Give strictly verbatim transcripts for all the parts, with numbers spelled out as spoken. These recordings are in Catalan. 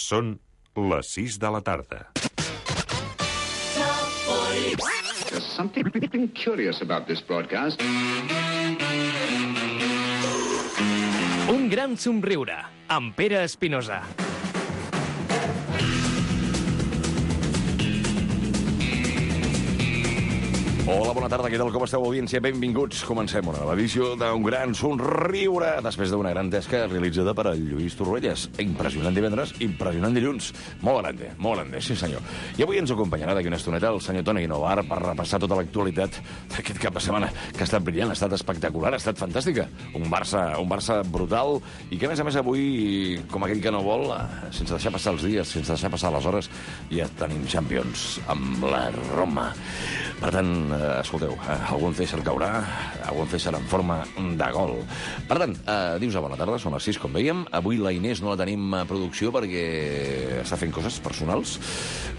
Són les sis de la tarda. There's something curious about this broadcast. Un gran somriure, amb Pere Espinosa. Hola, bona tarda, què tal, com esteu, audiència? Benvinguts. Comencem una nova edició d'un gran somriure després d'una gran tasca realitzada per el Lluís Torruelles. Impressionant divendres, impressionant dilluns. Molt grande, molt grande, sí senyor. I avui ens acompanyarà d'aquí una estoneta el senyor Toni Guinovar per repassar tota l'actualitat d'aquest cap de setmana, que ha estat brillant, ha estat espectacular, ha estat fantàstica. Un Barça, un Barça brutal i que, a més a més, avui, com aquell que no vol, sense deixar passar els dies, sense deixar passar les hores, ja tenim Champions amb la Roma. Per tant, eh, escolteu, eh, algun César caurà, algun César en forma de gol. Per tant, eh, dius a bona tarda, són les sis, com veiem. Avui la Inés no la tenim a producció perquè està fent coses personals,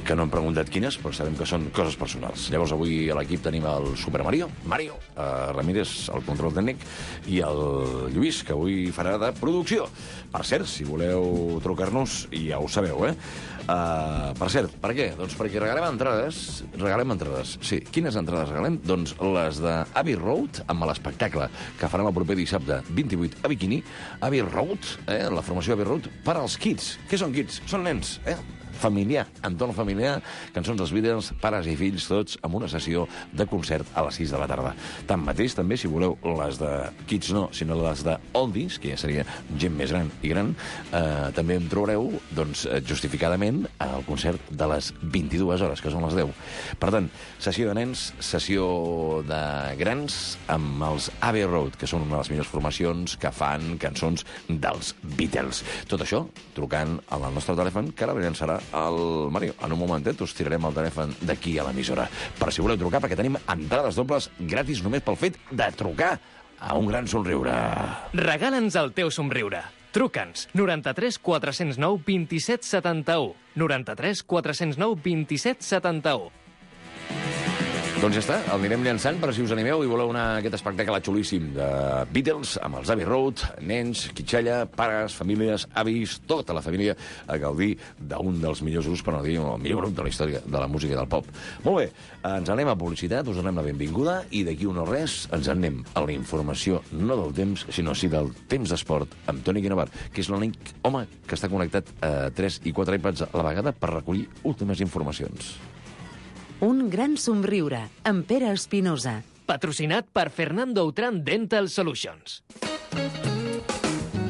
que no hem preguntat quines, però sabem que són coses personals. Llavors, avui a l'equip tenim el Super Mario, Mario, eh, Ramírez, el control tècnic, i el Lluís, que avui farà de producció. Per cert, si voleu trucar-nos, ja ho sabeu, eh? Uh, per cert, per què? Doncs perquè regalem entrades, regalem entrades, sí. Quines entrades regalem? Doncs les de Abbey Road, amb l'espectacle que farem el proper dissabte vint-i-vuit a Bikini. Abbey Road, eh, la formació Abbey Road, per als kids. Què són kids? Són nens, eh? Familiar, entorn familiar, cançons dels Beatles, pares i fills, tots, amb una sessió de concert a les sis de la tarda. Tanmateix, també, si voleu les de kids no, sinó les de oldies, que ja seria gent més gran i gran, eh, també em trobareu, doncs, justificadament, al concert de les vint-i-dues hores, que són les deu. Per tant, sessió de nens, sessió de grans, amb els Abbey Road, que són una de les millors formacions que fan cançons dels Beatles. Tot això, trucant al nostre telèfon, que ara llançarà el Mario. En un momentet us tirarem el telèfon d'aquí a l'emissora. Per si voleu trucar, perquè tenim entrades dobles gratis només pel fet de trucar a un gran somriure. Regala'ns el teu somriure. Truca'ns. noranta-tres quatre-cents nou vint-i-set setanta-u. noranta-tres quatre-cents nou vint-i-set setanta-u. Doncs ja està, el anirem llançant, però si us animeu i voleu anar a aquest espectacle xulíssim de Beatles, amb els Abbey Road, nens, quitxalla, pares, famílies, avis, tota la família a gaudir d'un dels millors grups, per no dir el millor grup de la història de la música i del pop. Molt bé, ens anem a publicitat, us donem la benvinguda, i d'aquí un no res ens anem a la informació, no del temps, sinó sí del temps d'esport, amb Toni Guinovar, que és l'únic home que està connectat a tres i quatre iPads a la vegada per recollir últimes informacions. Un gran somriure, amb Pere Espinosa. Patrocinat per Fernando Autran Dental Solutions.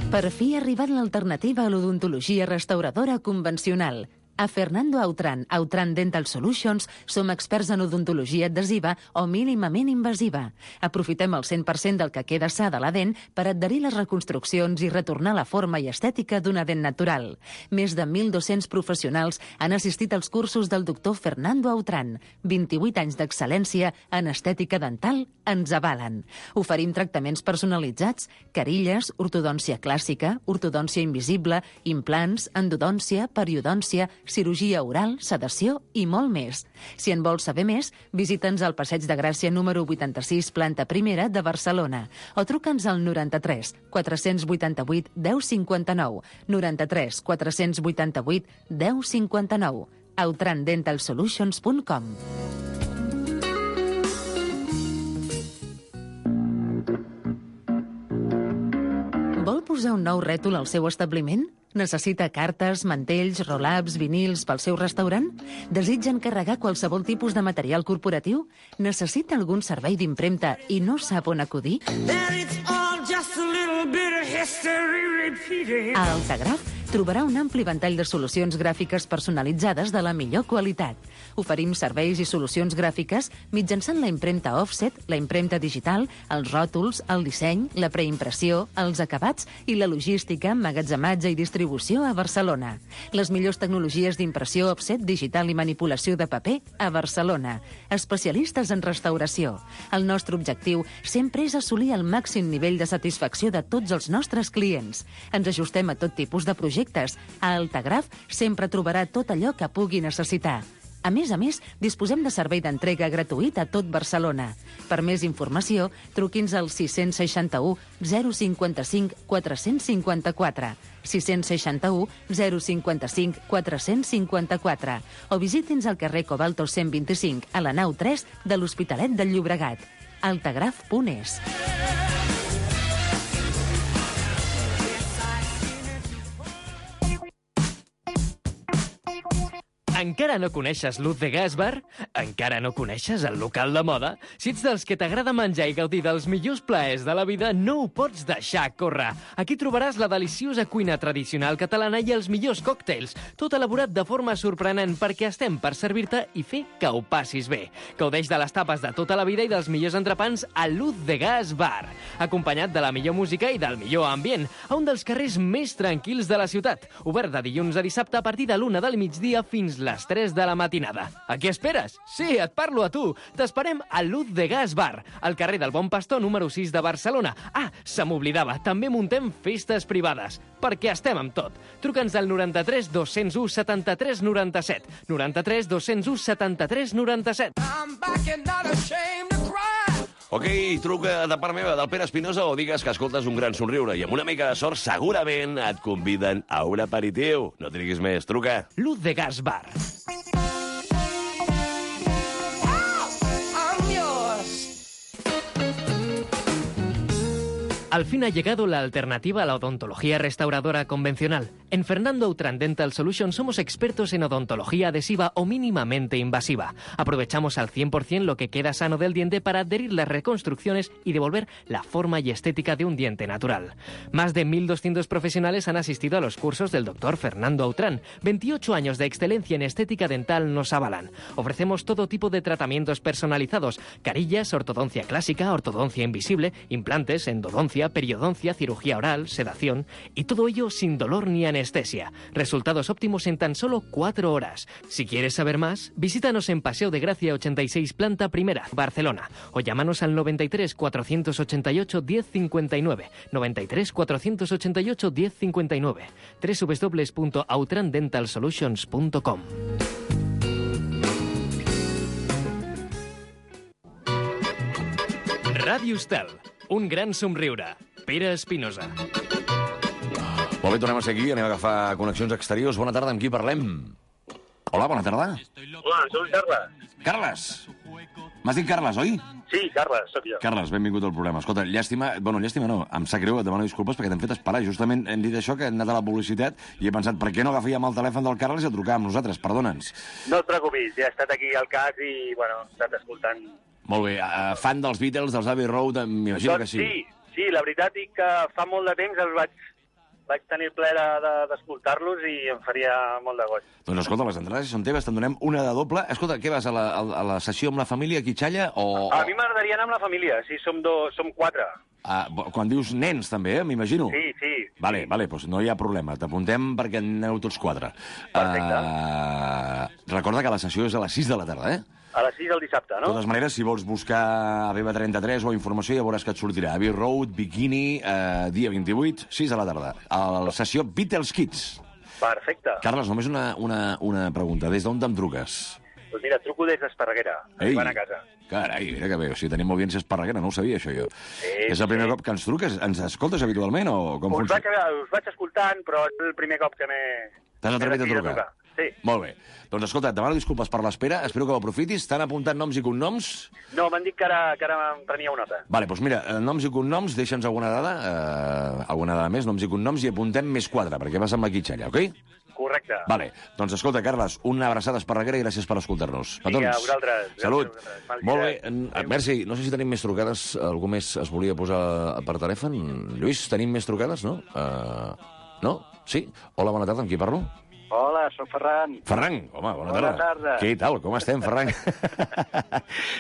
Per fi ha arribat l'alternativa a l'odontologia restauradora convencional. A Fernando Autran, Autran Dental Solutions, som experts en odontologia adhesiva o mínimament invasiva. Aprofitem el cent per cent del que queda sa de la dent per adherir les reconstruccions i retornar la forma i estètica d'una dent natural. Més de mil dos-cents professionals han assistit als cursos del doctor Fernando Autran. vint-i-vuit anys d'excel·lència en estètica dental ens avalen. Oferim tractaments personalitzats, carilles, ortodòncia clàssica, ortodòncia invisible, implants, endodòncia, periodòncia, cirurgia oral, sedació i molt més. Si en vols saber més, visita'ns al Passeig de Gràcia número vuitanta-sis, planta primera de Barcelona, o truca'ns al noranta-tres quatre-cents vuitanta-vuit deu cinquanta-nou, noranta-tres quatre-cents vuitanta-vuit deu cinquanta-nou, autran dental solutions punt com. Vol posar un nou rètol al seu establiment? Necessita cartes, mantells, roll-ups, vinils pel seu restaurant? Desitja encarregar qualsevol tipus de material corporatiu? Necessita algun servei d'impremta i no sap on acudir? A Altagraf trobarà un ampli ventall de solucions gràfiques personalitzades de la millor qualitat. Oferim serveis i solucions gràfiques mitjançant la impremta offset, la impremta digital, els ròtols, el disseny, la preimpressió, els acabats i la logística, emmagatzematge i distribució a Barcelona. Les millors tecnologies d'impressió offset, digital i manipulació de paper a Barcelona. Especialistes en restauració. El nostre objectiu sempre és assolir el màxim nivell de satisfacció de tots els nostres clients. Ens ajustem a tot tipus de projectes. A Altagraf sempre trobarà tot allò que pugui necessitar. A més a més, disposem de servei d'entrega gratuït a tot Barcelona. Per més informació, truqui'ns al sis seixanta u zero cinquanta-cinc quatre cents cinquanta-quatre, sis seixanta u zero cinquanta-cinc quatre cents cinquanta-quatre o visiti'ns al carrer Cobalto cent vint-i-cinc a la nau tres de l'Hospitalet del Llobregat. Altagraf punt es. Encara no coneixes Luz de Gas Bar? Encara no coneixes el local de moda? Si ets dels que t'agrada menjar i gaudir dels millors plaers de la vida, no ho pots deixar córrer. Aquí trobaràs la deliciosa cuina tradicional catalana i els millors còctels, tot elaborat de forma sorprenent perquè estem per servir-te i fer que ho passis bé. Gaudeix de les tapes de tota la vida i dels millors entrepans a Luz de Gas Bar, acompanyat de la millor música i del millor ambient, a un dels carrers més tranquils de la ciutat, obert de dilluns a dissabte a partir de l'una del migdia fins les tres de la matinada. A què esperes? Sí, et parlo a tu. T'esperem a Luz de Gas Bar, al carrer del Bon Pastor número sis de Barcelona. Ah, se m'oblidava, també muntem festes privades, perquè estem amb tot. Truca'ns al noranta-tres dos cents u setanta-tres noranta-set, noranta-tres dos cents u setanta-tres noranta-set. Ok, truca de part meva, del Pere Espinosa, o digues que escoltes un gran somriure i amb una mica de sort segurament et conviden a un aperitiu. No triguis més, truca. Luz de Gas Bar. Al fin ha llegado la alternativa a la odontología restauradora convencional. En Fernando Autran Dental Solutions somos expertos en odontología adhesiva o mínimamente invasiva. Aprovechamos al cien por cien lo que queda sano del diente para adherir las reconstrucciones y devolver la forma y estética de un diente natural. Más de mil doscientos profesionales han asistido a los cursos del doctor Fernando Autran. veintiocho años de excelencia en estética dental nos avalan. Ofrecemos todo tipo de tratamientos personalizados: carillas, ortodoncia clásica, ortodoncia invisible, implantes, endodoncia, periodoncia, cirugía oral, sedación, y todo ello sin dolor ni anestesia. Resultados óptimos en tan solo cuatro horas. Si quieres saber más, visítanos en Paseo de Gracia ochenta y seis, planta primera, Barcelona, o llámanos al noventa y tres cuatrocientos ochenta y ocho diez cincuenta y nueve, noventa y tres cuatrocientos ochenta y ocho diez cincuenta y nueve, doble u doble u doble u punto autran dental solutions punto com. Ràdio Estel. Un gran somriure. Pere Espinosa. Molt bé, tornem a ser aquí, anem a agafar connexions exteriors. Bona tarda, amb qui parlem? Hola, bona tarda. Hola, soc Carles. Carles. M'has dit Carles, oi? Sí, Carles, sóc jo. Carles, benvingut al programa. Escolta, llàstima... Bueno, llàstima no, em sap greu, et demano disculpes perquè t'hem fet esperar. Justament hem dit això, que hem anat a la publicitat i he pensat, per què no agafíem el telèfon del Carles i el trucàvem nosaltres? Perdona'ns. No et preocupis, ja he estat aquí al cas i, bueno, he estat escoltant... Molt bé, uh, fan dels Beatles, dels Abbey Road, m'imagino doncs que sí. Sí, sí, la veritat és que fa molt de temps els vaig, vaig tenir el plaer d'escoltar-los de, i em faria molt de goig. Doncs escolta, les entrades són teves, te'n donem una de doble. Escolta, què vas, a la, a la sessió amb la família aquí xalla o... A mi m'agradaria anar amb la família, sí, som, do, som quatre. Ah, quan dius nens, també, eh, m'imagino. Sí, sí. Vale, vale, doncs no hi ha problema. T'apuntem perquè aneu tots quatre. Perfecte. Uh, recorda que la sessió és a les sis de la tarda, eh? A les sis del dissabte, no? De totes maneres, si vols buscar a B B trenta-tres o informació, ja veuràs que et sortirà. Abbey Road, Bikini, eh, dia vint-i-vuit, sis de la tarda. A la sessió Beatles Kids. Perfecte. Carles, només una, una, una pregunta. Des d'on te'n truques? Doncs mira, truco des d'Esparreguera, arribant a casa. Carai, mira que bé, o sigui, tenim audiència esparreguera, no ho sabia, això jo. Sí, és el primer sí. cop que ens truques? Ens escoltes habitualment o com Us funciona? vaig, us vaig escoltant, però és el primer cop que m'he... T'has atrevit a trucar? trucar? Sí. Molt bé. Doncs escolta, et demano disculpes per l'espera, espero que ho aprofitis. T'han apuntat noms i cognoms? No, m'han dit que ara, que ara em prenia una nota. Vale, doncs mira, eh, noms i cognoms, deixa'ns alguna dada, eh, alguna dada més, noms i cognoms, i apuntem més quatre, perquè vas amb la quitxalla, ok? Correcte. Vale, doncs escolta, Carles, una abraçada esparreguera i gràcies per escoltar-nos. Vinga, a vosaltres. Salut. Gràcies a vosaltres. Molt bé. En- Merci, no sé si tenim més trucades, algú més es volia posar per telèfon. Lluís, tenim més trucades, no? Uh, no? Sí? Hola, bona tarda, amb qui parlo? Hola, soc Ferran. Ferran, home, bona tarda. Bona tarda. Què tal, com estem, Ferran?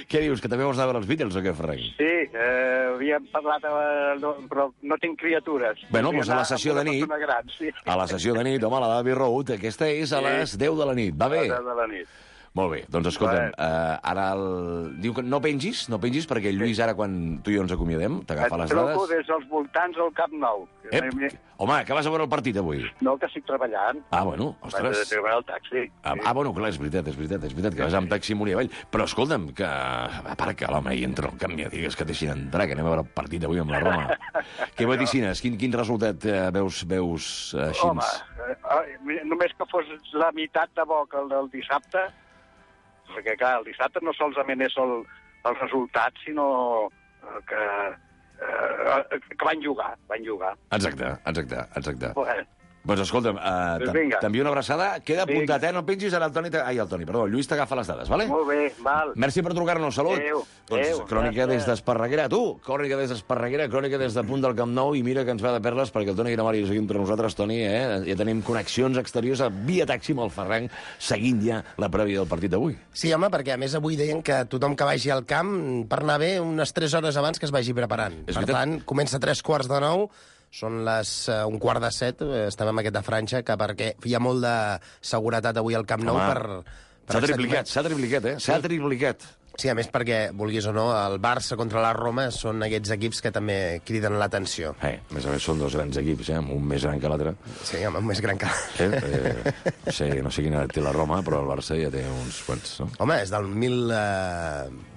Què dius, que també vols anar a veure els Beatles o què, Ferran? Sí, eh, havíem parlat, eh, no, però no tinc criatures. Bueno, Voldria doncs a la anar sessió amb de una nit- persona Gran, sí. A la sessió de nit, home, la d'Abbey Road, aquesta és a Sí. les deu de la nit, va bé? A les deu de la nit. Molt bé, doncs escolta'm, uh, ara el... diu que no pengis, no pengis, perquè el Lluís ara, quan tu i jo ens acomiadem, t'agafa les Et dades... truco des dels voltants del Camp Nou. Ep, home, que vas a veure el partit avui? No, que estic treballant. Ah, bueno, Vaig ostres. a treballar al taxi. Ah, ah, bueno, clar, és veritat, és veritat, és veritat, que vas amb taxi amunt i avall. Però escolta'm, que... A part que l'home hi entra al camp i digues que deixin entrar, que anem a veure el partit avui amb la Roma. Què vaticines? Quin, quin resultat eh, veus, veus eh, així? Home, eh, només que fos la meitat de bo que el del dissabte, perquè, clar, el dissabte no solament és el, el resultat, sinó que, eh, que van jugar, van jugar. Exacte, exacte, exacte. Bueno, Doncs escolta'm, uh, t'envio una abraçada. Queda apuntat, eh? No pengis, ara el Toni... Ai, el Toni, perdó, el Lluís t'agafa les dades, vale? Molt bé, val. Merci per trucar-nos, salut. Adéu, doncs, adéu, crònica gràcies. des d'Esparreguera. Tu, crònica des d'Esparreguera, crònica des de punt del Camp Nou, i mira que ens va de perles, perquè el Toni Gramari és aquí entre nosaltres, Toni, eh? Ja tenim connexions exteriors a via taxi amb el Ferran, seguint ja la prèvia del partit d'avui. Sí, home, perquè a més avui deien que tothom que vagi al camp, per anar bé, unes tres hores abans que es vagi preparant. És per veritat. tant, comença a tres quarts de nou, són les uh, un quart de set, eh, estem amb aquesta franja, que perquè hi ha molt de seguretat avui al Camp Nou Home, per... per S'ha triplicat, s'ha triplicat, eh? S'ha triplicat. Sí, a més perquè, vulguis o no, el Barça contra la Roma són aquests equips que també criden l'atenció. Eh, a més a més són dos grans equips, eh? Un més gran que l'altre. Sí, home, més gran que... Eh? Eh, no, sé, no sé quina té la Roma, però el Barça ja té uns quants, no? Home, és del mil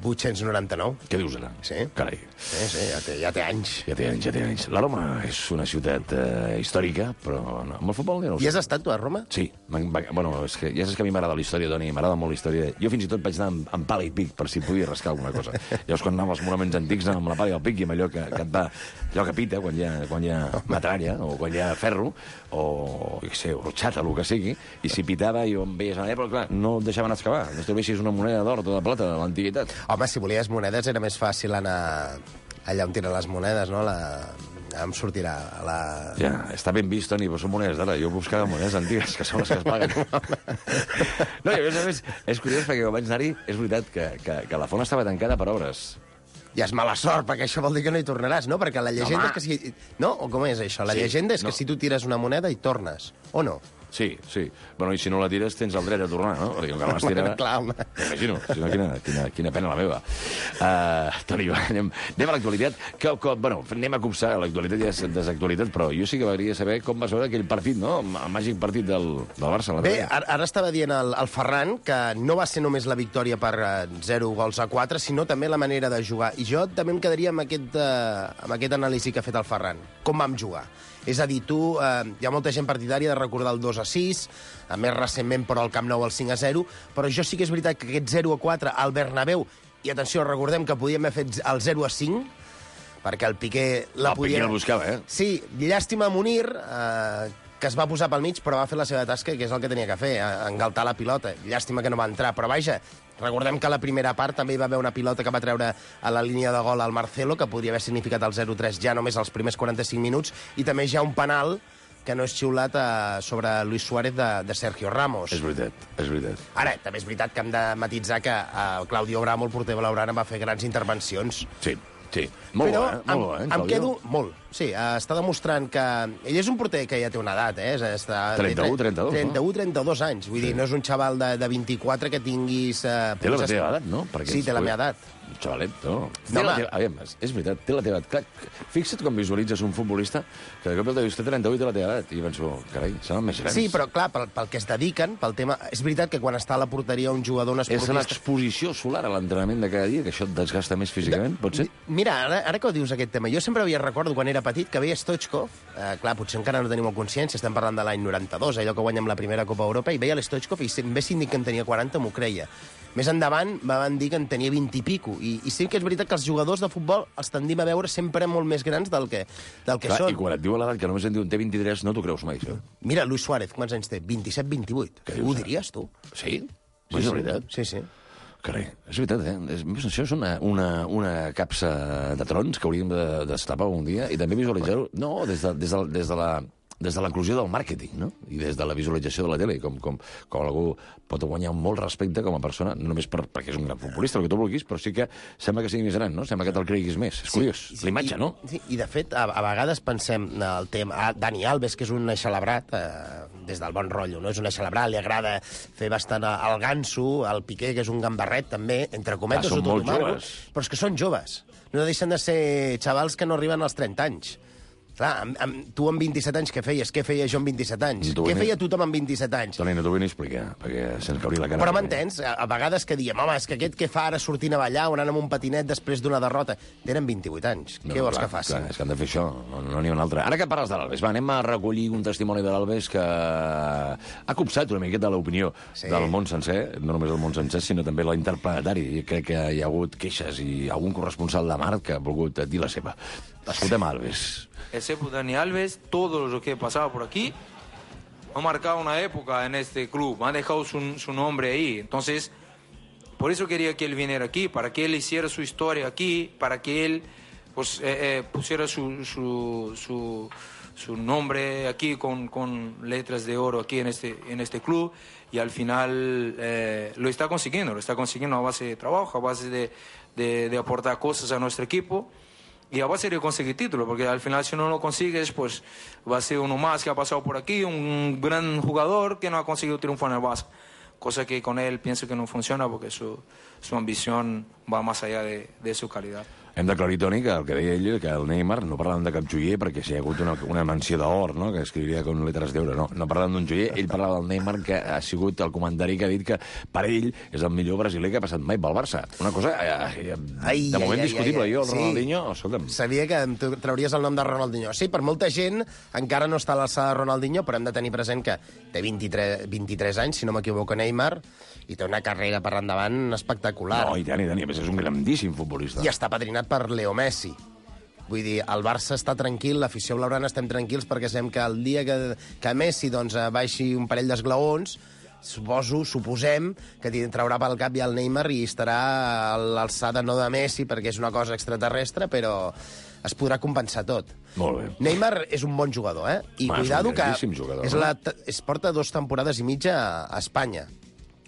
vuit-cents noranta-nou. Què dius ara? Sí. Carai. Sí, sí, ja té, ja té anys. Ja té anys, ja té anys. La Roma és una ciutat eh, històrica, però no, amb el futbol ja no ho I sé. has estat tu a Roma? Sí. Bueno, és que, ja saps que a mi m'agrada la història, Toni, m'agrada molt la història. Jo fins i tot vaig anar amb, amb pala i pic, per si podia rascar alguna cosa. Llavors, quan anava als monuments antics, anava amb la pala i el pic, i amb allò que, que et va... allò que pita, quan hi ha, quan hi ha metralla, o quan hi ha ferro, o, jo què sé, orxata, el que sigui, i si pitava, jo em veies anar, però clar, no et deixaven excavar. No trobessis una moneda d'or o de plata de l'antiguitat. Home, si volies monedes era més fàcil anar allà on tiren les monedes, no? La... Em sortirà a la... Ja, està ben vist, Toni, però són monedes d'ara. Jo buscava monedes antigues, que són les que es paguen. No, i a més a més, és curiós, perquè quan vaig anar-hi, és veritat que, que, que la font estava tancada per obres. Ja és mala sort, perquè això vol dir que no hi tornaràs, no? Perquè la llegenda Home. és que si... No? O com és això? La Sí, llegenda és que no. si tu tires una moneda hi tornes, o no? Sí, sí. Bueno, i si no la tires, tens el dret a tornar, no? Perquè com que la vas tirar... Clar, home. M'imagino, si no, quina, quina, quina pena la meva. Uh, Toni, va, anem, anem a l'actualitat. Que, que, bueno, anem a copsar, l'actualitat ja és desactualitat, però jo sí que m'agradaria saber com vas veure aquell partit, no? El màgic partit del, del Barça. Bé, ara, ara estava dient el, el Ferran que no va ser només la victòria per uh, zero gols a quatre, sinó també la manera de jugar. I jo també em quedaria amb aquest, uh, amb aquest anàlisi que ha fet el Ferran. Com vam jugar? És a dir, tu, eh, hi ha molta gent partidària de recordar el dos a sis, a més recentment, però al Camp Nou el cinc a zero, però jo sí que és veritat que aquest zero a quatre al Bernabéu, i atenció, recordem que podíem haver fet el zero a cinc, perquè el Piqué la el podia... Piqué el buscava, eh? Sí, llàstima a Munir, eh, que es va posar pel mig, però va fer la seva tasca, que és el que tenia que fer, engaltar la pilota. Llàstima que no va entrar, però vaja, recordem que a la primera part també hi va haver una pilota que va treure a la línia de gol al Marcelo, que podria haver significat el zero tres ja només als primers quaranta-cinc minuts, i també hi ha un penal que no és xiulat eh, sobre Luis Suárez de, de Sergio Ramos. És veritat, és veritat. Ara, també és veritat que hem de matitzar que eh, Claudio Bramo, el porter blaugrana, va fer grans intervencions. Sí, sí. Molt Però bo, eh? Molt bo, eh, em, em Claudio? quedo molt. Sí, eh, està demostrant que... Ell és un porter que ja té una edat, eh? Està, trenta-u, trenta-dos, no? trenta-u, trenta-dos anys. Vull Sí. dir, no és un xaval de, de vint-i-quatre que tinguis... Eh, Té la punts teva es- edat, no? Perquè Sí, té la ets- meva edat. Un xavalet, no? Té No, la home. teva... Aviam, és veritat, té la teva edat. Clar, fixa't com visualitzes un futbolista que de cop el dius, té trenta-u i té la teva edat. I penso, carai, seran més grans. Sí, però clar, pel, pel que es dediquen, pel tema... És veritat que quan està a la porteria un jugador, un És esportista... l'exposició solar a l'entrenament de cada dia, que això et desgasta més físicament, pot ser? Mira, ara, ara que ho dius aquest tema, jo sempre havia recordo quan era petit que veia Stoichkov, eh, clar, potser encara no tenim molt consciència, estem parlant de l'any noranta-dos, allò que guanyem la primera Copa Europa, i veia l'Stoichkov i em ve síndic que en tenia quaranta, m'ho creia. Més endavant van dir que en tenia vint i pico, i, i sí que és veritat que els jugadors de futbol els tendim a veure sempre molt més grans del que, del que Clar, són. i quan et diu a l'edat que només en diuen té vint-i-tres, no t'ho creus mai, això. Mira, Luis Suárez, quants anys té? vint-i-set, vint-i-vuit. Què Ho dius, diries, tu? Sí? Sí, és sí. veritat? Sí, sí. Carai, és veritat, eh? És, això és una, una, una capsa de trons que hauríem de destapar un dia i també visualitzar-ho, no, des de, des de, des de la des de l'eclusió del màrqueting, no? I des de la visualització de la tele, com, com, com algú pot guanyar molt respecte com a persona, no només per, perquè és un gran futbolista, el que tu vulguis, però sí que sembla que sigui més gran, no? Sembla que te'l creguis més. És curiós, Sí, l'imatge, i, no? Sí, i de fet, a, a vegades pensem el tema... Ah, Dani Alves, que és un eixelebrat, eh, des del bon rotllo, no? És una celebrar, li agrada fer bastant el ganso, el Piqué, que és un gambarret, també, entre cometes, Ah, són molt Marco, joves. però és que són joves. No deixen de ser xavals que no arriben als trenta anys. Clar, amb, amb, tu amb vint-i-set anys què feies? Què feia jo amb vint-i-set anys? Tu Què ni- feia tothom amb vint-i-set anys? Toni, no t'ho vull ni explicar, perquè se'ns cauria la cara. Però m'entens? A, a vegades que diem, home, és que aquest què fa ara sortint a ballar o anant amb un patinet després d'una derrota? Tenen vint-i-vuit anys. No, Què vols clar, que facin? Clar, és que han de fer això, no n'hi no ha un altre. Ara que parles de l'Albes, va, anem a recollir un testimoni de l'Albes que ha copsat una miqueta l'opinió Sí. del món sencer, no només del món sencer, sinó també la interplanetari. I crec que hi ha hagut queixes i algun corresponsal de Mart que ha volgut dir la seva. Escoltem a Alves. Excepto Dani Alves, todo lo que he pasado por aquí ha marcado una época en este club, ha dejado su, su nombre ahí. Entonces, por eso quería que él viniera aquí, para que él hiciera su historia aquí, para que él pues, eh, eh, pusiera su, su, su, su nombre aquí con, con letras de oro aquí en este, en este club. Y al final eh, lo está consiguiendo, lo está consiguiendo a base de trabajo, a base de, de, de aportar cosas a nuestro equipo. Y a base de conseguir título, porque al final si no lo consigues, pues va a ser uno más que ha pasado por aquí, un gran jugador que no ha conseguido triunfar en el Barça. Cosa que con él pienso que no funciona porque su, su ambición va más allá de, de su calidad. Hem d'aclarir, Toni, que el que deia ell, que el Neymar, no parlàvem de cap joier, perquè si hi ha hagut una, una menció d'or, no?, que escriuria con letres d'euro, no, no parlàvem d'un joier, ell parlava del Neymar, que ha sigut el comentari que ha dit que per ell és el millor brasiler que ha passat mai pel Barça. Una cosa, eh, eh, Ai, de moment ai, ai, discutible. ai, ai. Jo, el Sí. Ronaldinho, escolta'm... Sabia que em tu- trauries el nom de Ronaldinho. Sí, per molta gent encara no està a l'alçada de Ronaldinho, però hem de tenir present que té vint-i-tres, vint-i-tres anys, si no m'equivoco, Neymar, i té una carrera per endavant espectacular. No, i tant, i tant, i a més és un grandíssim futbolista. I està padrinat per Leo Messi. Vull dir, el Barça està tranquil, l'afició blaugrana estem tranquils perquè sabem que el dia que, que Messi doncs, baixi un parell d'esglaons, suposo, suposem, que t'hi traurà pel cap ja el Neymar i estarà a l'alçada no de Messi perquè és una cosa extraterrestre, però es podrà compensar tot. Molt bé. Neymar és un bon jugador, eh? I Home, és un cuidado que grandíssim jugador, és no? la, es porta dues temporades i mitja a, a Espanya,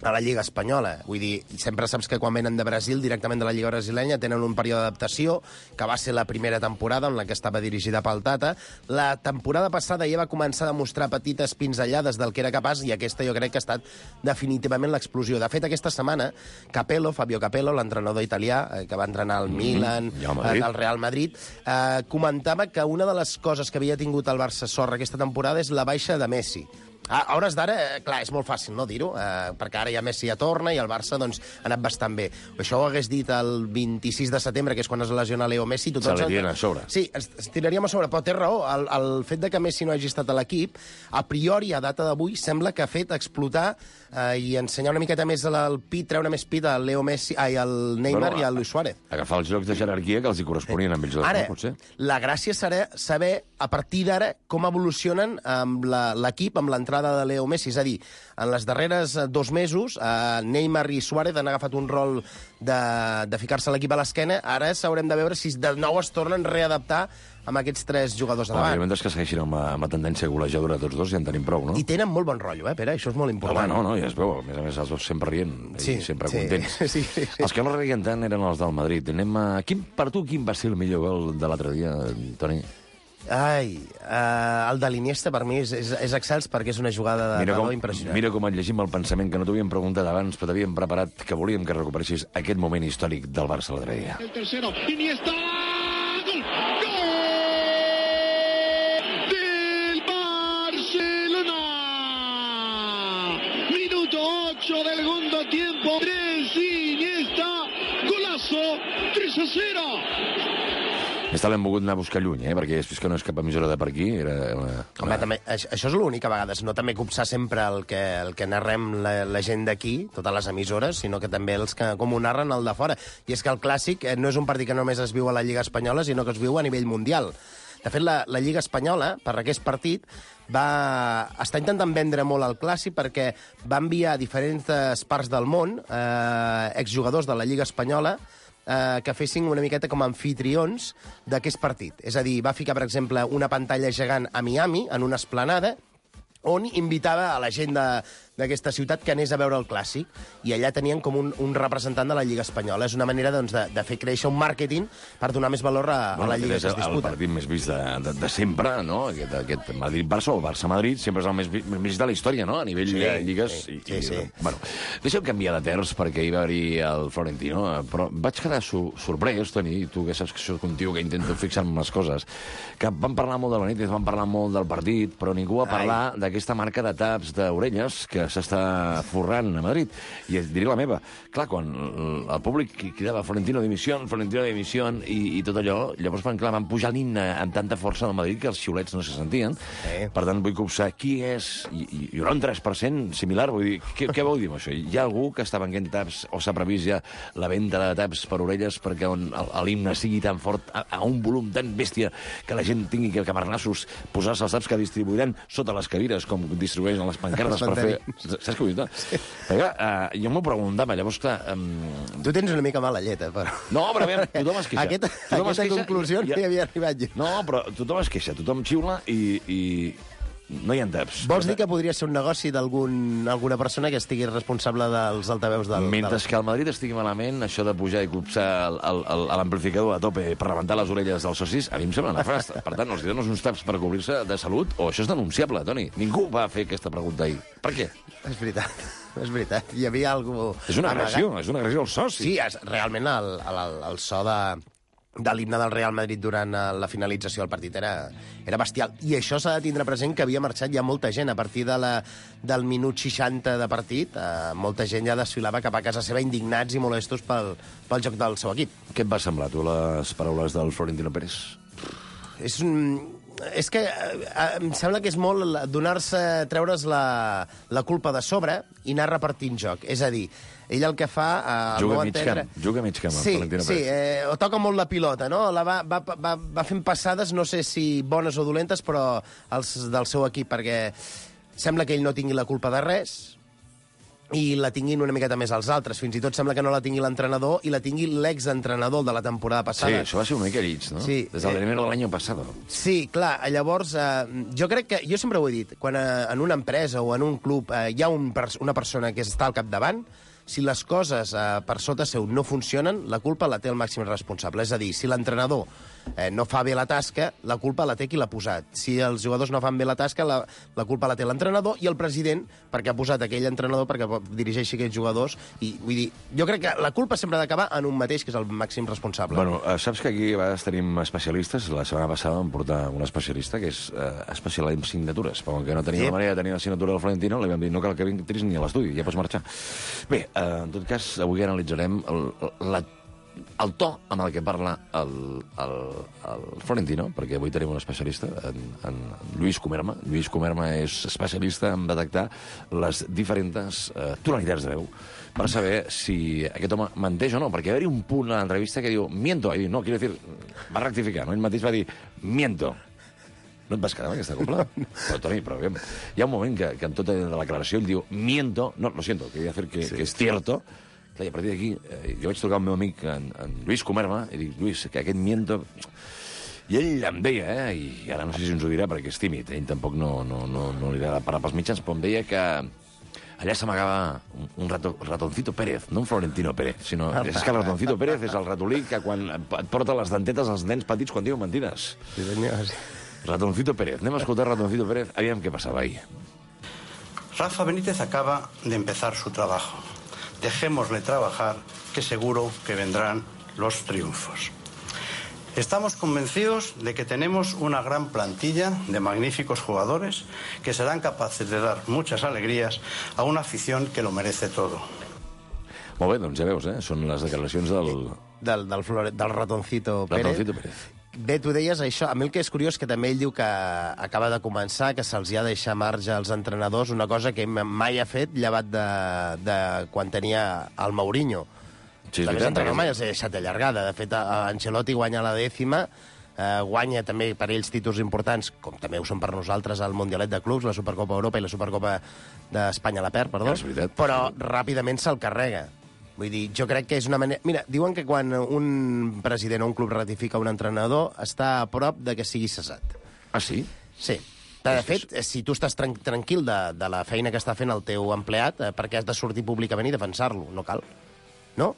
a la Lliga Espanyola. Vull dir, sempre saps que quan venen de Brasil, directament de la Lliga Brasilenya, tenen un període d'adaptació, que va ser la primera temporada en la que estava dirigida pel Tata. La temporada passada ja va començar a demostrar petites pinzellades del que era capaç, i aquesta jo crec que ha estat definitivament l'explosió. De fet, aquesta setmana, Capello, Fabio Capello, l'entrenador italià, eh, que va entrenar al Milan, i al Madrid. eh, al Real Madrid, eh, comentava que una de les coses que havia tingut el Barça sorra aquesta temporada és la baixa de Messi. A hores d'ara, eh, clar, és molt fàcil no dir-ho, eh, perquè ara ja Messi ja torna i el Barça doncs, ha anat bastant bé. Això ho hagués dit el vint-i-sis de setembre, que és quan es lesiona Leo Messi. Se li tira a sobre. Sí, ens, ens tiraríem a sobre, però té raó. El, el fet de que Messi no hagi estat a l'equip, a priori, a data d'avui, sembla que ha fet explotar eh, i ensenyar una miqueta més el pit, treure més pit al Leo Messi, ai, al Neymar Bueno, i al Luis Suárez. Agafar els jocs de jerarquia que els hi corresponien amb ells dos, Ara, no, potser? la gràcia serà saber, a partir d'ara, com evolucionen amb la- l'equip amb l'entrada de Leo Messi. És a dir, en les darreres eh, dos mesos, eh, Neymar i Suárez han agafat un rol de, de ficar-se l'equip a l'esquena. Ara s'haurem de veure si de nou es tornen a readaptar amb aquests tres jugadors a Home, davant. mentre que segueixin amb, la- amb la tendència golejadora tots dos, ja en tenim prou, no? I tenen molt bon rotllo, eh, Pere? Això és molt Home, important. no, no, ja es veu. A més a més, els dos sempre rient Sí, i sempre sí. contents. Sí, sí, sí. Els que no reien tant eren els del Madrid. Anem a... Quin, per tu, quin va ser el millor gol de l'altre dia, Toni? Ai, uh, el de l'Iniesta per mi és, és, és excels perquè és una jugada de Mira com, valor impressionant. mira com et llegim el pensament que no t'havíem preguntat abans, però t'havíem preparat que volíem que recuperessis aquest moment històric del Barça l'altre dia. El tercero, Iniesta, gol, gol del Barcelona. Minuto ocho del segundo tiempo, tres Iniesta, golazo, tres a cero. Aquesta l'hem volgut anar a buscar lluny, eh? Perquè és que no és cap emissora de per aquí. Era una, Home, una... també, això això és l'únic a vegades, no també copsar sempre el que, el que narrem la, la gent d'aquí, totes les emissores, sinó que també els que com ho narren el de fora. I és que el Clàssic eh, no és un partit que només es viu a la Lliga Espanyola, sinó que es viu a nivell mundial. De fet, la, la Lliga Espanyola, per aquest partit, va està intentant vendre molt el Clàssic perquè va enviar a diferents parts del món eh, exjugadors de la Lliga Espanyola eh, que fessin una miqueta com a anfitrions d'aquest partit. És a dir, va ficar, per exemple, una pantalla gegant a Miami, en una esplanada, on invitava a la gent de, d'aquesta ciutat que anés a veure el Clàssic, i allà tenien com un, un representant de la Lliga Espanyola. És una manera doncs, de, de fer créixer un màrqueting per donar més valor a, a la Lliga que es disputa. El partit més vist de, de, de sempre, no? Aquest, aquest Madrid-Barça o Barça-Madrid sempre és el més, més vist de la història, no? A nivell sí, de lligues. Sí, i, sí, sí. I, bueno, deixa'm canviar de terç perquè hi va haver el Florentino, però vaig quedar su sorprès, Toni, tu que saps que soc un tio que intento fixar-me en les coses, que van parlar molt de Benítez, van parlar molt del partit, però ningú va parlar d'aquesta marca de taps d'orelles que s'està forrant a Madrid. I et diré la meva. Clar, quan el públic cridava Florentino dimissió, Florentino dimissió, i, i tot allò, llavors van, clar, van pujar l'himne amb tanta força del Madrid que els xiulets no se sentien. Eh. Per tant, vull copsar qui és... I, i hi haurà un tres per cent similar. Vull dir, què, què vol dir amb això? Hi ha algú que està venent taps o s'ha previst ja la venda de taps per orelles perquè l'himne sigui tan fort, a, a un volum tan bèstia, que la gent tingui que camarnassos posar-se els taps que distribuiran sota les cadires, com distribueixen les pancartes per fer... Saps què vull dir? Sí. Perquè, uh, jo m'ho preguntava, llavors, clar... Um... Tu tens una mica mala llet, eh, però... No, però a veure, tothom es queixa. Aquesta, tothom aquesta es queixa, conclusió no hi havia arribat jo. No, però tothom es queixa, tothom xiula i... i... no hi ha taps. Vols dir que podria ser un negoci d'alguna persona que estigui responsable dels altaveus del... Mentre del... que al Madrid estigui malament, això de pujar i copsar l'amplificador a tope per rebentar les orelles dels socis, a mi em sembla nefast. Per tant, els dones uns taps per cobrir-se de salut, o això és denunciable, Toni. Ningú va fer aquesta pregunta ahir. Per què? És veritat, és veritat. Hi havia algú... És una agressió, és una agressió al soci. Sí, és, realment el, el, el so de... de l'himne del Real Madrid durant la finalització del partit era, era bestial. I això s'ha de tindre present que havia marxat ja molta gent. A partir de la, del minut seixanta de partit, eh, molta gent ja desfilava cap a casa seva indignats i molestos pel, pel joc del seu equip. Què et va semblar, tu, les paraules del Florentino Pérez? És un... És que eh, em sembla que és molt donar-se, treure's la, la culpa de sobre i anar repartint joc. És a dir, ell el que fa... Eh, juga mig entendre... camp, juga mig camp, sí, el Florentino sí, Pérez. Sí, eh, toca molt la pilota, no? La va, va, va, va fent passades, no sé si bones o dolentes, però els del seu equip, perquè sembla que ell no tingui la culpa de res, i la tinguin una miqueta més als altres. Fins i tot sembla que no la tingui l'entrenador i la tingui l'exentrenador de la temporada passada. Sí, això va ser una mica llits, no? Sí. Des del enero de l'any passat. Sí, clar, llavors, eh, jo crec que, jo sempre ho he dit, quan eh, en una empresa o en un club eh, hi ha un, una persona que està al capdavant, si les coses eh, per sota seu no funcionen, la culpa la té el màxim responsable. És a dir, si l'entrenador eh, no fa bé la tasca, la culpa la té qui l'ha posat. Si els jugadors no fan bé la tasca, la, la culpa la té l'entrenador i el president, perquè ha posat aquell entrenador perquè dirigeixi aquells jugadors. I vull dir, jo crec que la culpa sempre ha d'acabar en un mateix, que és el màxim responsable. Bueno, eh, saps que aquí a vegades tenim especialistes. La setmana passada vam portar un especialista que és eh, especial en signatures, però que no tenia sí. la manera de tenir la signatura del Florentino, li vam dir no cal que vingis ni a l'estudi, ja pots marxar. Bé, eh, en tot cas, avui analitzarem el, la el to amb el que parla el, el, el Florentino, perquè avui tenim un especialista, en, en Lluís Comerma. Lluís Comerma és especialista en detectar les diferents eh, tonalitats de veu per saber si aquest home menteix o no, perquè va haver-hi un punt a l'entrevista que diu miento, i diu, no, quiero decir, va rectificar, no? Ell mateix va dir miento. No et vas quedar amb aquesta copla? No. Però, Toni, però aviam, hi ha un moment que, que en tota la declaració ell diu miento, no, lo siento, quería decir que, sí. que es cierto. I a partir d'aquí, eh, jo vaig trucar al meu amic, en, en Lluís Comerma, i dic, Lluís, que aquest miento... I ell em deia, eh, i ara no sé si ens ho dirà perquè és tímid, ell tampoc no, no, no, no li agrada parar pels mitjans, però em deia que allà s'amagava un, un rato, ratoncito Pérez, no un Florentino Pérez, sinó és que el ratoncito Pérez és el ratolí que quan et porta les dentetes als nens petits quan diuen mentides. Sí, senyor, sí. Ratoncito Pérez. Anem a escoltar Ratoncito Pérez. Aviam què passava ahí. Rafa Benítez acaba de empezar su trabajo. Dejémosle trabajar, que seguro que vendrán los triunfos. Estamos convencidos de que tenemos una gran plantilla de magníficos jugadores que serán capaces de dar muchas alegrías a una afición que lo merece todo. Molt bé, doncs ja veus, eh? Són les declaracions del... Del, del, flore, del Ratoncito Pérez. Ratoncito Pérez. Bé, tu deies això. A mi el que és curiós que també ell diu que acaba de començar, que se'ls ha de deixar marge als entrenadors, una cosa que mai ha fet, llevat de, de quan tenia el Mourinho. Sí, és també veritat. mai els ha deixat allargada. De fet, Ancelotti guanya la dècima, eh, guanya també per ells títols importants, com també ho són per nosaltres el Mundialet de Clubs, la Supercopa Europa i la Supercopa d'Espanya la perd, perdó, ja, però ràpidament se'l carrega. Vull dir, jo crec que és una manera... Mira, diuen que quan un president o un club ratifica un entrenador està a prop de que sigui cessat. Ah, sí? Sí. De fet, si tu estàs tran tranquil de, de la feina que està fent el teu empleat, eh, per què has de sortir públicament i defensar-lo? No cal. No?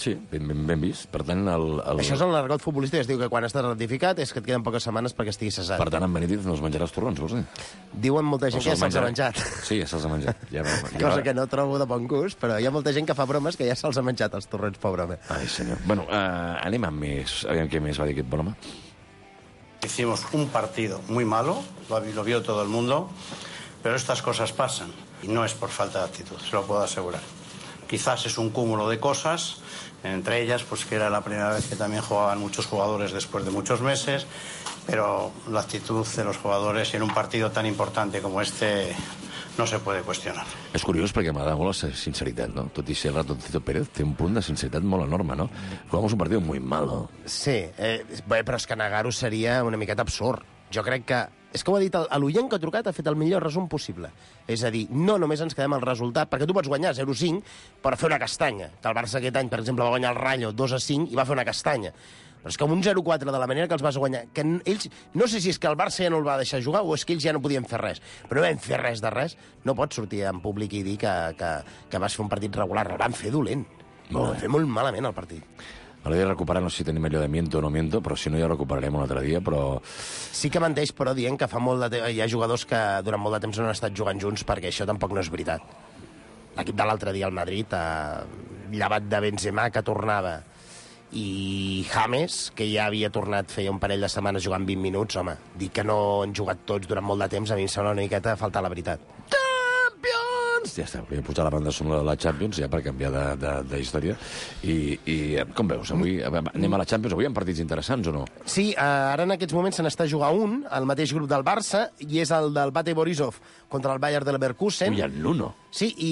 Sí, ben, ben, ben vist. Per tant, el, el... Això és el l'argot futbolístic. Es diu que quan estàs ratificat és que et queden poques setmanes perquè estiguis cessat. Per tant, en Benítez no els menjaràs torrons, vols dir? Diuen molta gent No que ja se'ls se'ls ha menjarà. menjat. Sí, ja se'ls ha menjat. Ja, ja, Cosa que no trobo de bon gust, però hi ha molta gent que fa bromes que ja se'ls ha menjat els torrons, pobre home. Ai, senyor. Bueno, uh, anem amb més... Aviam què més va dir aquest bon home. Hicimos un partido muy malo, lo, lo vio todo el mundo, pero estas cosas pasan y no es por falta de actitud, se lo puedo asegurar. Quizás es un cúmulo de cosas, entre ellas pues que era la primera vez que también jugaban muchos jugadores después de muchos meses, pero la actitud de los jugadores en un partido tan importante como este no se puede cuestionar. És curiós perquè m'agrada molt la sinceritat, no? Tot i ser el Ratoncito Pérez, té un punt de sinceritat molt enorme, no? Jugamos un partido muy malo. Sí, eh, bé, però és que negar-ho seria una miqueta absurd. Jo crec que... És que ho ha dit, l'oient que ha trucat ha fet el millor resum possible. És a dir, no només ens quedem al resultat, perquè tu pots guanyar zero a cinc per fer una castanya. Que el Barça aquest any, per exemple, va guanyar el Rayo dos a cinc i va fer una castanya. Però és que amb un zero a quatre, de la manera que els vas guanyar, que ells, no sé si és que el Barça ja no el va deixar jugar o és que ells ja no podien fer res, però no vam fer res de res, no pots sortir en públic i dir que, que, que vas fer un partit regular. El van fer dolent. El van fer molt malament, el partit. M'agradaria recuperar, no sé si tenim allò de miento o no miento, però si no ja ho recuperarem un altre dia, però... Sí que menteix, però dient que fa molt de temps... Hi ha jugadors que durant molt de temps no han estat jugant junts perquè això tampoc no és veritat. L'equip de l'altre dia al Madrid, eh, llevat de Benzema, que tornava, i James, que ja havia tornat feia un parell de setmanes jugant vint minuts, home, dir que no han jugat tots durant molt de temps, a mi em sembla una miqueta faltar la veritat. Ja està, volia posar la banda sonora de la Champions ja per canviar de, de, de història. I, I com veus, avui anem a la Champions, avui hi ha partits interessants o no? Sí, ara en aquests moments se n'està jugant un, el mateix grup del Barça, i és el del Bate Borisov contra el Bayern de Leverkusen. Ui, el Nuno. Sí, i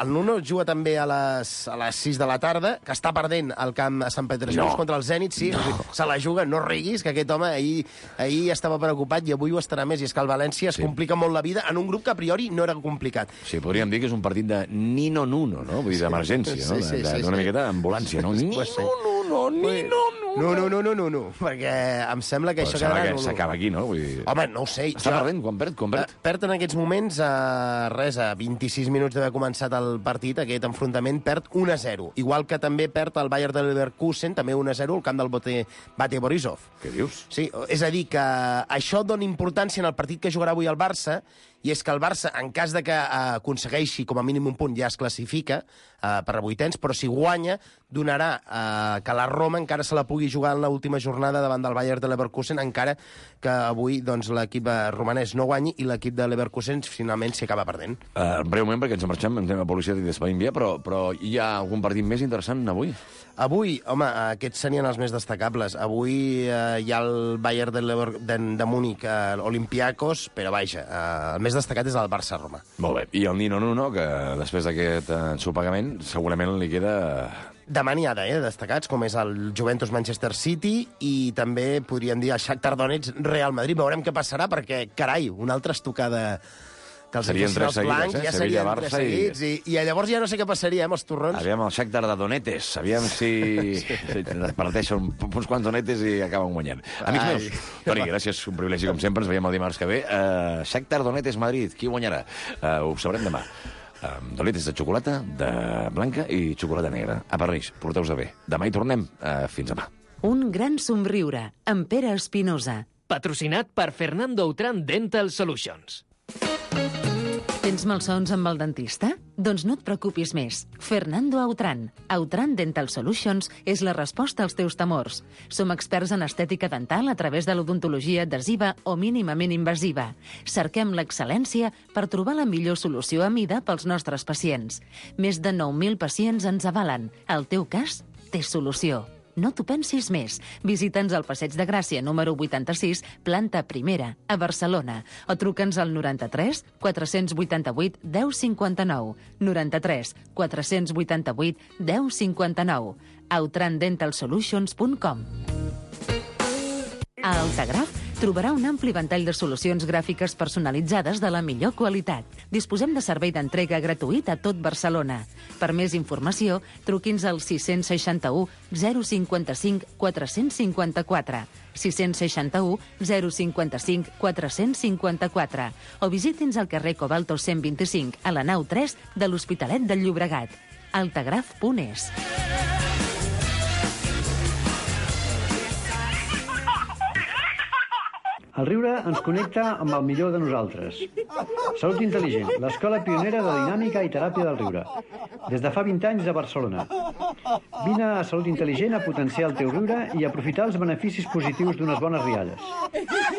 el Nuno juga també a les, a les sis de la tarda, que està perdent el camp a Sant Petersburg No. contra el Zenit, sí, No. se la juga, no riguis, que aquest home ahir, ahir estava preocupat i avui ho estarà més, i és que el València es Sí. complica molt la vida en un grup que a priori no era complicat. Sí, podríem dir que és un partit de Nino Nuno, no? Vull dir, d'emergència, no? Sí, sí, De- sí, D'una sí. miqueta d'ambulància, no? Nino Pues sí. Nuno, Nino Nuno. No, no, no, no, no, no, perquè em sembla que Però això sembla quedarà... que s'acaba aquí, no? Vull dir... Home, no ho sé. Està perdent, quan perd, quan perd? Eh, Perd en aquests moments, a res, a vint-i-sis minuts d'haver començat el partit, aquest enfrontament, perd un a zero. Igual que també perd el Bayern de Leverkusen, també un a zero, al camp del Bate, Bate Borisov. Què dius? Sí, és a dir, que això dona importància en el partit que jugarà avui el Barça, i és que el Barça, en cas de que eh, aconsegueixi com a mínim un punt, ja es classifica eh, per a vuitens, però si guanya, donarà eh, que la Roma encara se la pugui jugar en l'última jornada davant del Bayern de Leverkusen, encara que avui doncs, l'equip eh, romanès no guanyi i l'equip de Leverkusen finalment s'hi acaba perdent. Uh, breument, perquè ens en marxem, ens anem a publicitat i despedim ja, però, però hi ha algun partit més interessant avui? Avui, home, aquests serien els més destacables. Avui eh, hi ha el Bayern de, Lever de, de Múnich, eh, Olympiacos, però vaja, eh, el més destacat és el Barça-Roma. Molt bé. I el Nino Nuno, que després d'aquest ensopegament segurament li queda... Demà n'hi ha de, eh, destacats, com és el Juventus-Manchester City i també podríem dir el Shakhtar Donetsk-Real Madrid. Veurem què passarà, perquè, carai, una altra estocada que els Serien fessin tres els seguides, blancs, eh? ja Sevilla, serien Barça tres seguits, i... I, i llavors ja no sé què passaria, eh, amb els torrons. Aviam el Shakhtar de Donetes, aviam si sí. parteixen uns quants donetes i acaben guanyant. Amics Ai. meus, Toni, gràcies, un privilegi com sempre, ens veiem el dimarts que ve. Uh, Shakhtar Donetes Madrid, qui guanyarà? Uh, ho sabrem demà. Uh, donetes de xocolata, de blanca i xocolata negra. A París, porteu-vos bé. Demà hi tornem. Uh, fins demà. Un gran somriure, amb Pere Espinosa. Patrocinat per Fernando Outram Dental Solutions. Tens malsons amb el dentista? Doncs no et preocupis més. Fernando Autran. Autran Dental Solutions és la resposta als teus temors. Som experts en estètica dental a través de l'odontologia adhesiva o mínimament invasiva. Cerquem l'excel·lència per trobar la millor solució a mida pels nostres pacients. Més de nou mil pacients ens avalen. El teu cas té solució. No t'ho pensis més. Visita'ns al Passeig de Gràcia, número vuitanta-sis, planta primera, a Barcelona. O truca'ns al noranta-tres quatre-cents vuitanta-vuit deu cinquanta-nou. noranta-tres quatre-cents vuitanta-vuit deu cinquanta-nou. autran dental solutions punt com. A Altagraf trobarà un ampli ventall de solucions gràfiques personalitzades de la millor qualitat. Disposem de servei d'entrega gratuït a tot Barcelona. Per més informació, truqui'ns al sis seixanta-u zero cinquanta-cinc quatre-cents cinquanta-quatre, sis seixanta-u zero cinquanta-cinc quatre-cents cinquanta-quatre o visiti'ns al carrer Cobalto cent vint-i-cinc a la nau tres de l'Hospitalet del Llobregat. altagraf punt es. El riure ens connecta amb el millor de nosaltres. Salut Intel·ligent, l'escola pionera de dinàmica i teràpia del riure. Des de fa vint anys a Barcelona. Vine a Salut Intel·ligent a potenciar el teu riure i aprofitar els beneficis positius d'unes bones rialles.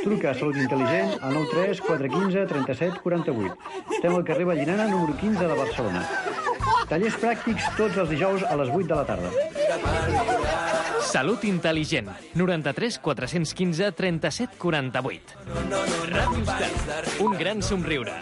Truca a Salut Intel·ligent al nou tres quatre uno cinc tres set quatre vuit. Estem al carrer Vallinana, número quinze de Barcelona. Tallers pràctics tots els dijous a les vuit de la tarda. Salut Intel·ligent. noranta-tres quatre-cents quinze trenta-set quaranta-vuit. Ràdio Estel. Un gran somriure.